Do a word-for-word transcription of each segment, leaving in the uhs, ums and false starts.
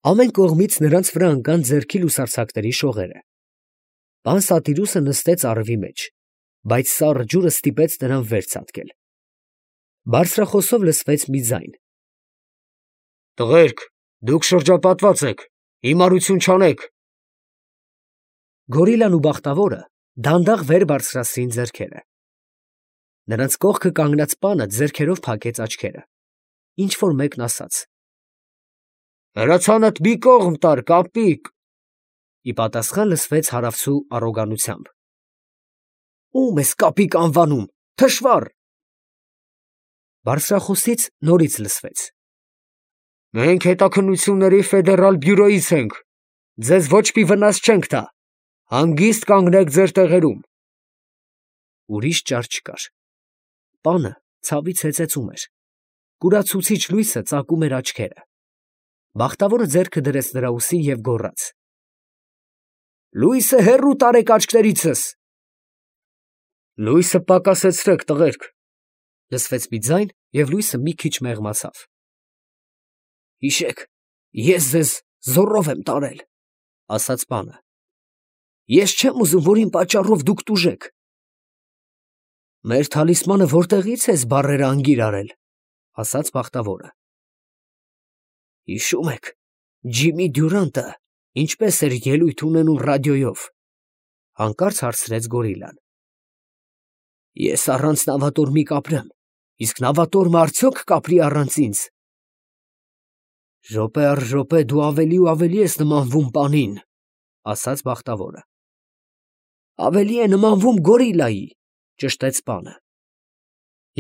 Ամեն կողմից նրանց վրա ընկան ձեռքի լուսարձակների շողերը։ Պան Սատիրուսը նստեց առվի մեջ, բայց սառը ջուրը ստիպեց նրան վեր ցատկել։ Բարձրախոսով լսվեց մի ձայն. «Տղերք, դուք շրջապատված եք, հիմարություն չանեք»։ Գորիլան ու Բախտավորը դանդաղ վեր բարձրացրին ձեռքերը։ Նրանց կողքը կանգնած պանը ձեռքերով փակեց աչքերը։ Ինչ որ մեկն ասաց. «Հրացանդ մի կողմ տար, կապիկ»։ Ի պատասխան լսվեց հարավցու առոգանությամբ. «Ո՞ւմ ես կապիկ անվանում, թշվառ»։ Բարձրախոսից նորից լսվեց. «Մենք հետաքննությունների ֆեդերալ բյուրոյից ենք, ձեզ ոչ մի վնաս չենք տա, հանգիստ կանգնեք ձեր տեղերում»։ Ուրիշ ճար չկար։ Պանը ցավից հեծեծում էր, կուրացուցիչ լույսը ծակում էր աչքերը։ Բախտավորը ձեռքը դրեց նրա ուսին և գոռաց. «Լույսը հեռու տարեք աչքներիցս»։ «Լույսը պակասեցրեք, տղերք», լսվեց մի ձայն, և լույսը մի քիչ մեղմացավ։ «Հիշեք, ես ձեզ զոռով եմ տարել», ասաց պանը։ «Ես չեմ ուզում, որ իմ պատճառով դուք տուժեք»։ «Մեր թալիսմանը որտեղից ես բառերը անգիր արել», ասաց Բախտավորը։ «Հիշում եք, Ջիմի Դյուրանտը ինչպես էր ելույթ ունենում ռադիոյով», հանկարծ հարցրեց Գորիլան։ «Ես առանց նավատորմի կապրեմ, իսկ նավատորմը արդյոք կապրի առանց ինձ»։ «Րոպե առ րոպե դու ավելի ու ավելի ես նմանվում պանին», ասաց Բախտավորը։ «Ավելի է նմանվում գորիլայի», ճշտեց պանը։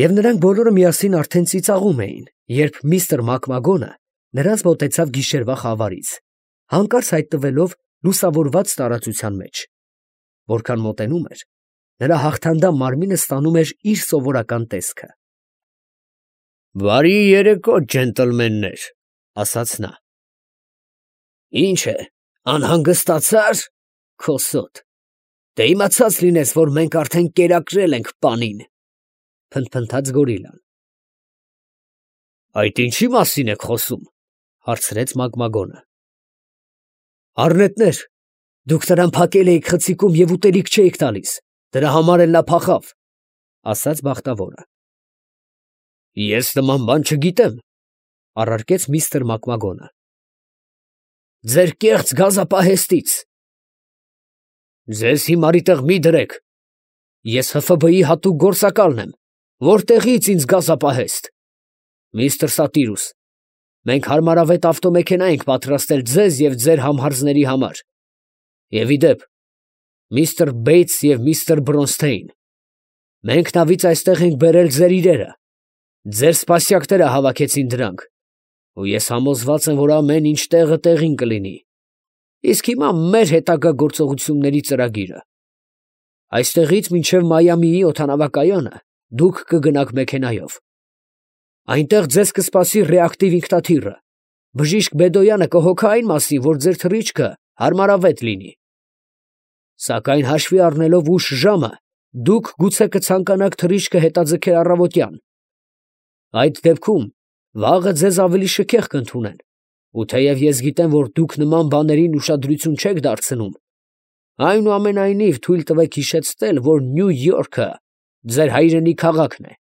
Եվ նրանք բոլորը միասին արդեն ծիծաղում էին, երբ միստր Մակմագոնը նրանց մոտեցավ գիշերվա խավարից, հանկարծ հայտնվելով լուսավորված տարածության մեջ։ Որքան մոտենում էր, նրա հաղթանդամ մարմինը ստանում էր իր սովորական տեսքը։ «Բարի երեկո, ջենտլմեններ», ասաց նա։ «Ինչ է, անհանգստացա՞ր, քոսոտ, թե իմացած լինես, որ մենք արդեն կերակրել ենք պանին», փնթփնթաց Գորիլան։ «Այդ ինչի մասին եք խոսում», հարցրեց Մակմագոնը։ «Առնետներ, դուք նրան փակել էիք խցիկում և ուտելիք չէիք տալիս, դրա համար էլ նա փախավ», ասաց Բախտավորը։ «Ես նման բան չգիտեմ», առարկեց միստր Մակմագոնը։ «Ձեր կեղծ գազապահեստից»։ «Ձեզ հիմարի տեղ մի դրեք, ես Հ Ֆ B-ի հատուկ գործակալն եմ, որտեղից ինձ գազապահեստ։ Միստր Սատիրուս, մենք հարմարավետ ավտոմեքենա ենք պատրաստել ձեզ և ձեր համհարձների համար։ Եվ ի դեպ, միստր Բեյթս և միստր Բրոնսթեյն, մենք նավից այստեղ ենք բերել ձեր իրերը, ձեր սպասյակները հավաքեցին դրանք, ու ես համոզված եմ, որ ամեն ինչ տեղը տեղին կլինի։ Իսկ հիմա մեր հետագա գործողությունների ծրագիրը. այստեղից մինչև Մայամիի օդանավակայանը դուք կգնաք մեքենայով։ Այնտեղ ձեզ կսպասի ռեակտիվ ինքնաթիռը, բժիշկ Բեդոյանը կհոգա այն մասին, որ ձեր թռիչքը հարմարավետ լինի։ Սակայն հաշվի առնելով ուշ ժամը, դուք գուցե կցանկանաք թռիչքը հետաձգել առավոտյան։ Այդ դեպքում վաղը ձեզ ավելի շքեղ կընդունեն, ու թեև ես գիտեմ, որ դուք նման բաներին ուշադրություն չեք դարձնում, այնուամենայնիվ թույլ տվեք հիշեցնել, որ Նյու Յորքը ձեր հայրենի քաղաքն է։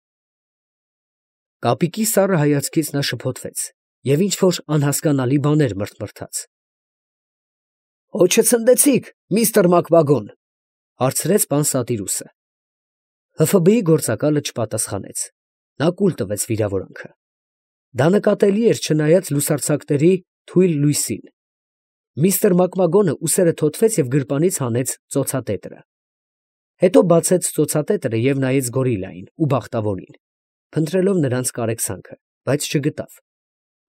Կապիկի սառը հայացքից նա շփոթվեց և ինչ-որ անհասկանալի բաներ մրթմրթաց։ «Հո չցնդեցիք, միստր Մակմագոն», հարցրեց պան Սատիրուսը։ Հ Ֆ B-ի գործակալը չպատասխանեց։ Նա կուլ տվեց վիրավորանքը։ Դա նկատելի էր չնայած լուսարձակների թույլ լույսին։ Միստր Մակմագոնը ուսերը թոթվեց և գրպանից հանեց ծոցատետրը։ Հետո բացեց ծոցատետրը և նայեց Գորիլային ու Բախտավորին, փնտրելով նրանց կարեկցանքը, բայց չգտավ։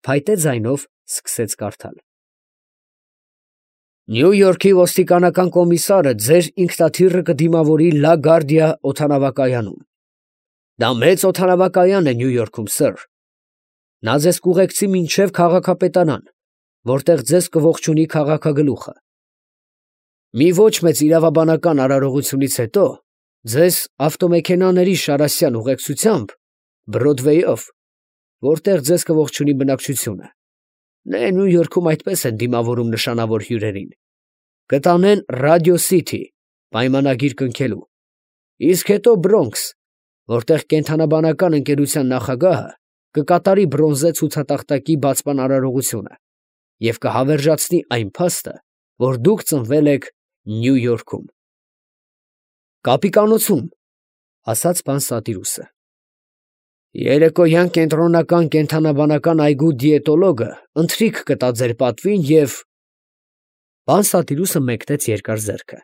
Փայտե ձայնով սկսեց կարդալ. «Նյու Յորքի ոստիկանական կոմիսարը ձեր ինքնաթիռը կդիմավորի Լա Գարդիա օդանավակայանում։ Դա մեծ օդանավակայան է Նյու Յորքում, սըր։ Նա ձեզ կուղեկցի մինչև քաղաքապետարան, որտեղ ձեզ կողջունի քաղաքագլուխը։ Մի ոչ մեծ իրավաբանական արարողությունից հետո ձեզ ավտոմեքենաների շարասյան ուղեկցությամբ Բրոդվեյով, որտեղ ձեզ կողջունի բնակչությունը, Նե Նյու Յորքում այդպես են դիմավորում նշանավոր հյուրերին. կտանեն Ռադիո Սիթի պայմանագիր կնքելու, իսկ հետո Բրոնքս, որտեղ կենդանաբանական ընկերության նախագահը կկատարի բրոնզե ցուցատախտակի բացման արարողությունը և կհավերժացնի այն փաստը, որ դուք ծնվել եք Նյու Յորքում։ Կապիկանոցում, ասաց պան Սատիրուսը։ Երեկոյան կենտրոնական կենդանաբանական այգու դիետոլոգը ընթրիք կտա ձեր պատվին և… Պան Սատիրուսը մեկնեց երկար ձեռքը։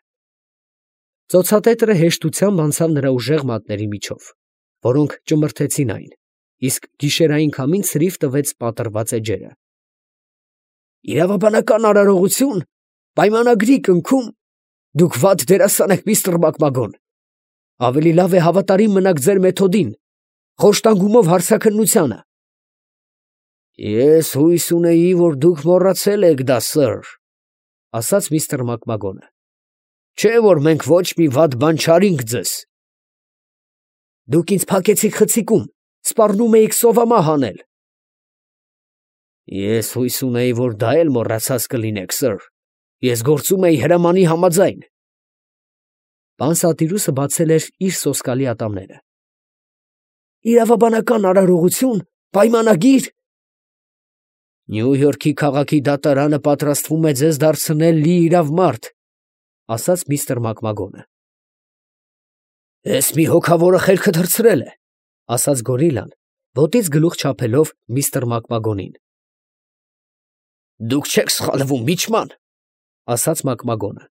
Ծոցատետրը հեշտությամբ անցավ նրա ուժեղ մատների միջով, որոնք ճմրթեցին այն, իսկ գիշերային քամին ցրիվ տվեց պատռված էջերը։ Իրավաբանական արարողություն, պայմանագրի կնքում, դուք վատ դերասան եք, միստր Մակմագոն, ավելի լավ է հավատարիմ մնաք ձեր մեթոդին, խոշտանգումով հարցաքննությանը։ Ես հույս ունեի, որ դուք մոռացել եք դա, սըր, ասաց միստր Մակմագոնը, չէ՞ որ մենք ոչ մի վատ բան չարինք ձեզ։ Դուք ինձ փակեցիք խցիկում, սպառնում էիք սովամահ անել։ Ես հույս ունեի, որ դա էլ մոռացած կլինեք, սըր, ես գործում էի հրամանի համաձայն։ Պան Սատիրուսը բացել էր իր սոսկալի ատամները։ Իրավաբանական արարողություն, պայմանագիր… Նյու Յորքի քաղաքի դատարանը պատրաստվում է ձեզ դարձնել լիիրավ մարդ, ասաց միստր Մակմագոնը։ Էս մի հոգավորը խելքը թռցրել է, ասաց գորիլան, ոտից գլուխ չափելով միստր Մակմագոնին։ Դուք չեք սխալվում, միչման, ասաց Մակմագոնը։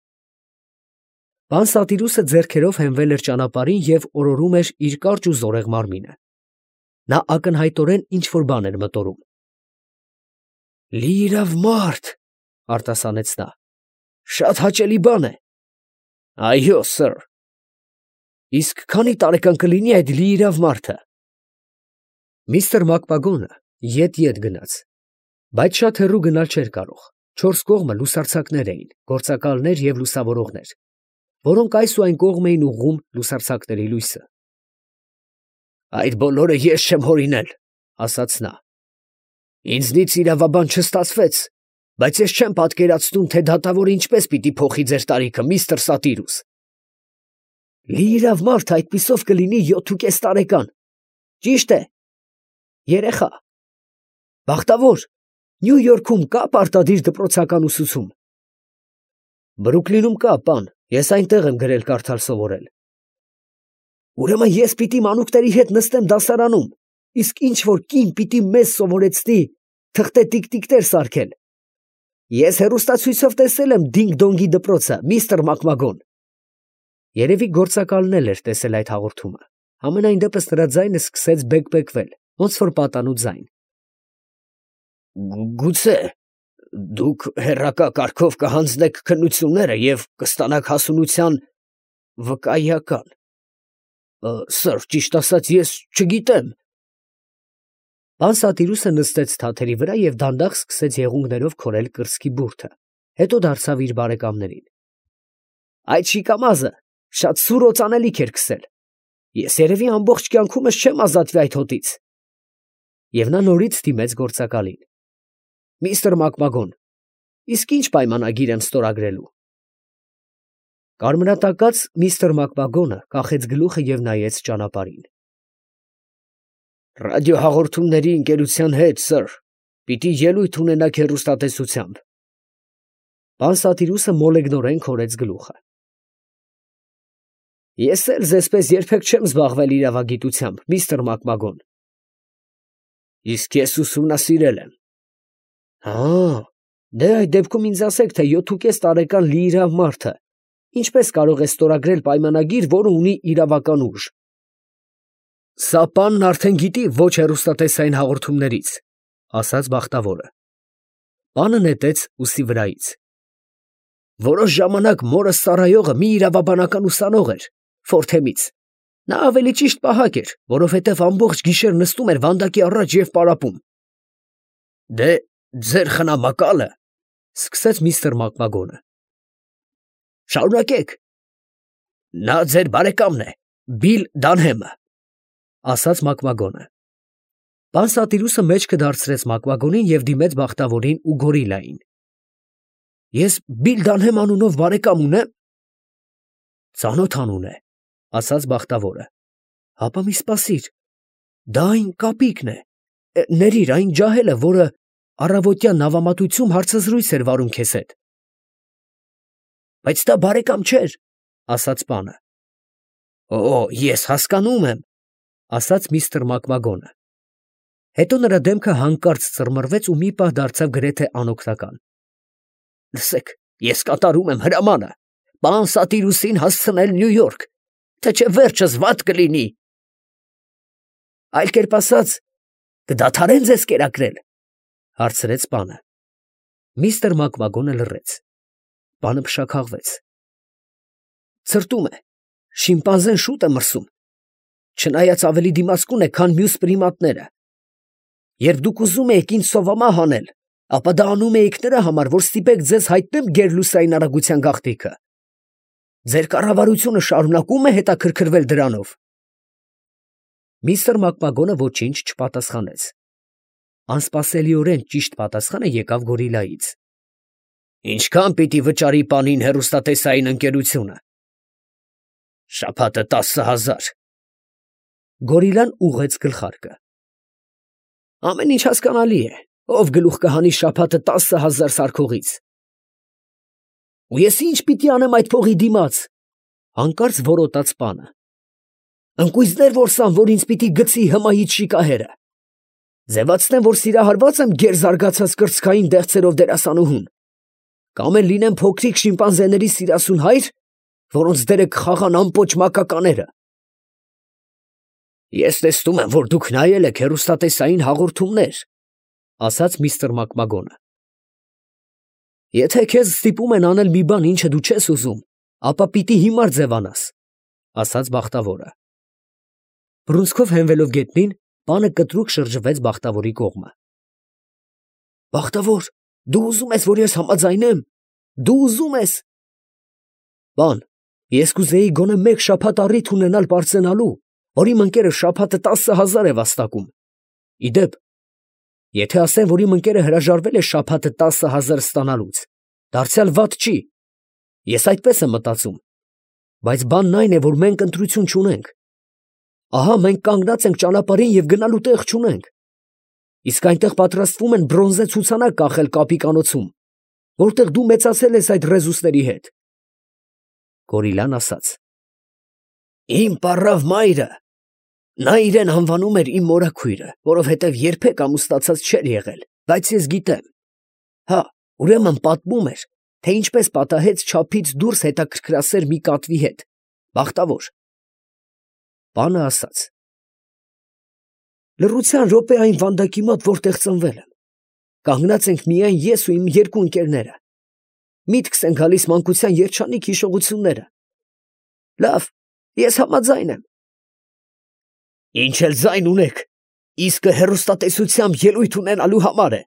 Պան Սատիրուսը ձեռքերով հենվել էր ճանապարհին և օրորում էր իր կարճ ու զորեղ մարմինը։ Նա ակնհայտորեն ինչ֊որ բան էր մտորում։ Լիիրավ մարդ, արտասանեց նա, շատ հաճելի բան է։ Այո, սըր։ Իսկ քանի տարեկան կլինի այդ լիիրավ մարդը։ Միստր Մակմագոնը ետ-ետ գնաց, բայց շատ հեռու գնալ չէր կարող, չորս կողմը լուսարձակներ էին, գործակալներ և լուսավորողներ, որոնք այս ու այն կողմ էին ուղղում լուսարձակների լույսը։ Այդ բոլորը ես չեմ հորինել, ասաց նա։ Ինձնից իրավաբան չստացվեց, բայց ես չեմ պատկերացնում, թե դատավորը ինչպես պիտի փոխի ձեր տարիքը, միստր Սատիրուս։ Լիիրավ մարդ այդպիսով կլինի յոթ ու կես տարեկան։ Ճիշտ է։ Երեխա։ Բախտավոր, Նյու Յորքում կա պարտադիր դպրոցական ուսուցում։ Բրուքլինում կա, պան, ես այնտեղ եմ գրել կարդալ սովորել։ Ուրեմն ես պիտի մանուկների հետ նստեմ դասարանում, իսկ ինչ որ կին պիտի մեզ սովորեցնի թղթե տիկ-տիկներ սարքել։ Ես հեռուստացույցով տեսել եմ Դինգ֊Դոնգի դպրոցը, միստր Մակմագոն։ Երևի գործակալն էլ էր տեսել այդ հաղորդումը, համենայն դեպս նրա ձայնը սկսեց բեկ֊բեկվել, ոնց որ պատանու ձայն։ Գուցե դուք հեռակա կարգով կհանձնեք քննությունները և կստանաք հասունության վկայական։ Սըր, ճիշտ ասած, ես չգիտեմ։ Պան Սատիրուսը նստեց թաթերի վրա և դանդաղ սկսեց եղունգներով քորել կրծքի բուրդը, հետո դարձավ իր բարեկամներին։ Այդ շիկամազը շատ սուր օծանելիք էր քսել։ Ես երևի ամբողջ կյանքումս չեմ ազատվի այդ հոտից։ Եվ նա նորից դիմեց գործակալին։ Միստր Մակմագոն, իսկ ինչ պայմանագիր եմ ստորագրելու։ Կարմրատակած միստր Մակմագոնը կախեց գլուխը և նայեց ճանապարհին։ Ռադիոհաղորդումների ընկերության հետ, սըր, պիտի ելույթ ունենաք հեռուստատեսությամբ։ Պան Սատիրուսը մոլեգնորեն քորեց գլուխը։ Ես էլ ձեզպես երբեք չեմ զբաղվել իրավագիտությամբ, միստր Մակմագոն։ Իսկ ես ուսումնասիրել եմ։ Հա, դե այդ դեպքում ինձ ասեք, թե յոթ ու կես տարեկան լիիրավ մարդը ինչպես կարող է ստորագրել պայմանագիր, որը ունի իրավական ուժ։ Սա պանն արդեն գիտի ոչ հեռուստատեսային հաղորդումներից, ասաց բախտավորը։ Պանը նետեց ուսի վրայից։ Որոշ ժամանակ մորս ծառայողը մի իրավաբանական ուսանող էր, Ֆորթեմից։ Նա ավելի ճիշտ պահակ էր, որովհետև ամբողջ գիշեր նստում էր վանդակի առաջ և պարապում։ Դե, ձեր խնամակալը, սկսեց միստր Մակմագոնը։ Շարունակեք։ Նա ձեր բարեկամն է, Բիլ Դանհեմը, ասաց Մակմագոնը։ Պան Սատիրուսը մեջքը դարձրեց Մակվագոնին և դիմեց Բախտավորին ու Գորիլային։ Ես Բիլդանհեմ անունով բարեկամ ունեմ։ Ծանոթ անուն է, ասաց Բախտավորը։ Հապա մի սպասիր, դա այն կապիկն է, ներիր այն ջահելը, որը առավոտյան նավամատույցում հարցազրույց էր վարում քեզ հետ։ Բայց դա բարեկամ չէր, ասաց պանը։ Օ, ես հասկանում եմ, ասաց միստր Մակվագոնը։ Հետո նրա դեմքը հանկարծ ծռմռվեց ու մի պահ դարձավ գրեթե անօգնական։ Լսեք, ես կատարում եմ հրամանը, պան Սատիրուսին հասցնել Նյու Յորք, թե չէ վերջս վատ կլինի։ Այլ կերպ ասած, կդադարեն ձեզ կերակրել, հարցրեց պանը։ Միստր Մակվագոնը լռեց։ Պանը փշաքաղվեց։ Ցրտում է, շիմպանզեն շուտ է մրսում, չնայած ավելի դիմացկուն է, քան մյուս պրիմատները։ Երբ դուք ուզում եք ինձ սովամահ անել, ապա դա անում էիք նրա համար, որ ստիպեք ձեզ հայտնեմ գերլուսային արագության գաղտնիքը։ Ձեր կառավարությունը շարունակում է հետաքրքրվել դրանով։ Միստր Մակվագոնը ոչինչ չպատասխանեց։ Անսպասելիորեն ճիշտ պատասխանը եկավ Գորիլայից։ Ինչքան պիտի վճարի պանին հեռուստատեսային ընկերությունը։ Շաբաթը տասը հազար։ Գորիլան ուղղեց գլխարկը։ Ամեն ինչ հասկանալի է, ով գլուխ կհանի շաբաթը տասը հազար սարքողից։ Ու ես ինչ պիտի անեմ այդ փողի դիմաց, հանկարծ որոտաց պանը։ Ընկույզներ որսամ, որ ինձ պիտի գցի հմայից շիկահերը։ Ձևացնեմ, որ սիրահարված եմ գերզարգացած կրծքային դեղցերով դերասանուհուն, կամ էլ լինեմ փոքրիկ շիմպանզեների սիրասուն հայր, որոնց դերը կխաղան ամպոչ մակակաները։ Ես տեսնում եմ, որ դուք նայել եք հեռուստատեսային հաղորդումներ, ասաց միստր Մակվագոնը։ Եթե քեզ ստիպում են անել մի բան, ինչը դու չես ուզում, ապա պիտի հիմար ձևանաս, ասաց Բախտավորը։ Բռունցքով հենվելով գետնին, պանը կտրուկ շրջվեց Բախտավորի կողմը։ Բախտավոր, դու ուզում ես, որ ես համաձայնեմ։ Դու ուզում ես։ Պան, ես կուզեի գոնե մեկ շաբաթ առիթ ունենալ պարծենալու, որ իմ ընկերը շաբաթը տասը հազար է վաստակում։ Իդեպ, եթե ասեմ, որ իմ ընկերը հրաժարվել է շաբաթը տասը հազար ստանալուց, դարձյալ վատ չի։ Ես այդպես եմ մտածում։ Բայց բանն այն է, որ մենք ընտրություն չունենք։ Ահա մենք կանգնած ենք ճանապարհին և գնալու տեղ չունենք։ Իսկ այնտեղ պատրաստվում են բրոնզե ցուցանակ կախել կապիկանոցում, որտեղ դու մեծացել ես այդ ռեզուսների հետ։ Գորիլան ասաց. Իմ պառավ մայրը, նա իրեն անվանում էր իմ մորաքույրը, որովհետև երբեք ամուսնացած չէր եղել, բայց ես գիտեմ։ Հա, ուրեմն պատմում էր, թե ինչպես պատահեց չափից դուրս հետաքրքրասեր մի կատվի հետ, բախտավոր։ Պանը ասաց. Լռության րոպե այն վանդակի մոտ, որտեղ ծնվել եմ։ Կանգնած ենք միայն ես ու իմ երկու ընկերները։ Միտքս են գալիս մանկության երջանիկ հիշողությունները։ Լավ, ես համաձայն եմ։ Ինչ էլ ձայն ունեք, իսկը հեռուստատեսությամբ ելույթ ունենալու համար է,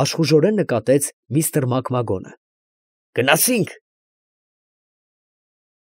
աշխուժորեն նկատեց միստր Մակվագոնը։ Գնացինք,